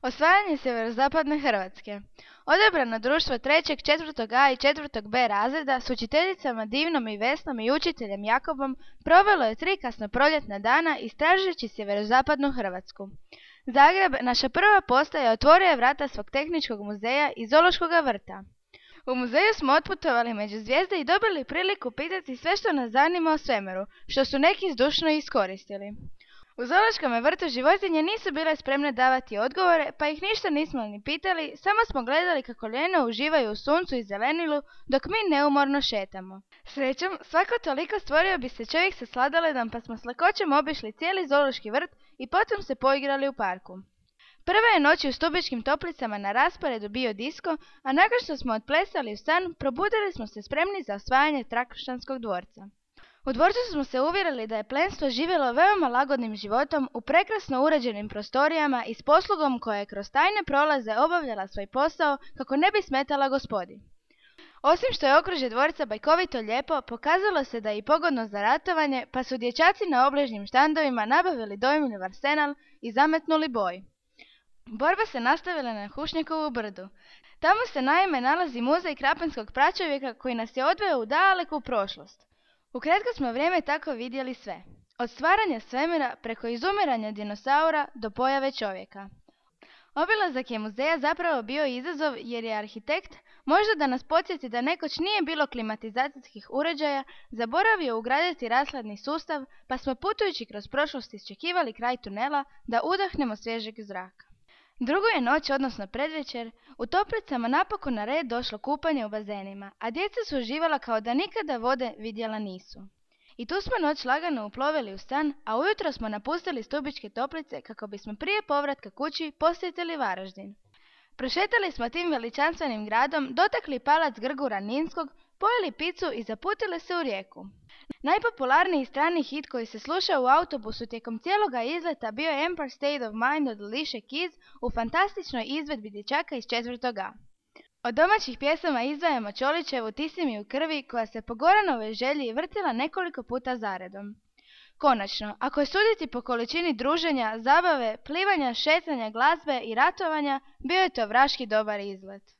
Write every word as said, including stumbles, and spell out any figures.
Osvajanje sjeverozapadne Hrvatske. Odabrano društvo trećeg, četvrtog A i četvrtog B razreda s učiteljicama Divnom i Vesnom i učiteljem Jakobom provelo je tri kasnoproljetna dana istražujući sjeverozapadnu Hrvatsku. Zagreb, naša prva postaja, otvorio je vrata svog tehničkog muzeja i zoološkog vrta. U muzeju smo otputovali među zvijezde i dobili priliku pitati sve što nas zanima o svemiru, što su neki zdušno iskoristili. U zoološkom vrtu životinje nisu bile spremne davati odgovore, pa ih ništa nismo ni pitali, samo smo gledali kako ljeno uživaju u suncu i zelenilu, dok mi neumorno šetamo. Srećom, svako toliko stvorio bi se čovjek sa sladoledom, pa smo s lakoćom obišli cijeli zoološki vrt i potom se poigrali u parku. Prve je noći u Stubičkim Toplicama na rasporedu bio disko, a nakon što smo otplesali u san, probudili smo se spremni za osvajanje Trakoštanskog dvorca. U dvorcu smo se uvjerili da je plemstvo živjelo veoma lagodnim životom u prekrasno uređenim prostorijama i s poslugom koja je kroz tajne prolaze obavljala svoj posao kako ne bi smetala gospodi. Osim što je okružje dvorca bajkovito lijepo, pokazalo se da je i pogodno za ratovanje, pa su dječaci na obližnjim štandovima nabavili dojmljiv arsenal i zametnuli boj. Borba se nastavila na Hušnjakovu brdu. Tamo se naime nalazi muzej krapinskog pračovjeka koji nas je odveo u daleku prošlost. Ukratko smo vrijeme tako vidjeli sve. Od stvaranja svemira preko izumiranja dinosaura do pojave čovjeka. Obilazak je muzeja zapravo bio izazov jer je arhitekt, možda da nas podsjeti da nekoć nije bilo klimatizacijskih uređaja, zaboravio ugraditi rashladni sustav, pa smo putujući kroz prošlost iščekivali kraj tunela da udahnemo svježeg zraka. Drugu je noć, odnosno predvečer, u Toplicama napokon na red došlo kupanje u bazenima, a djeca su uživala kao da nikada vode vidjela nisu. I tu smo noć lagano uplovili u san, a ujutro smo napustili Stubičke Toplice kako bismo prije povratka kući posjetili Varaždin. Prošetali smo tim veličanstvenim gradom, dotakli palac Grgura Ninskog, pojeli picu i zaputili se u Rijeku. Najpopularniji strani hit koji se slušao u autobusu tijekom cijeloga izleta bio je Empire State of Mind od Alicia Keys u fantastičnoj izvedbi dječaka iz četvrtog A. Od domaćih pjesama izdvajamo Čolićevu Ti si mi u krvi, koja se po Goranovoj želji vrtila nekoliko puta zaredom. Konačno, ako je suditi po količini druženja, zabave, plivanja, šetanja, glazbe i ratovanja, bio je to vraški dobar izlet.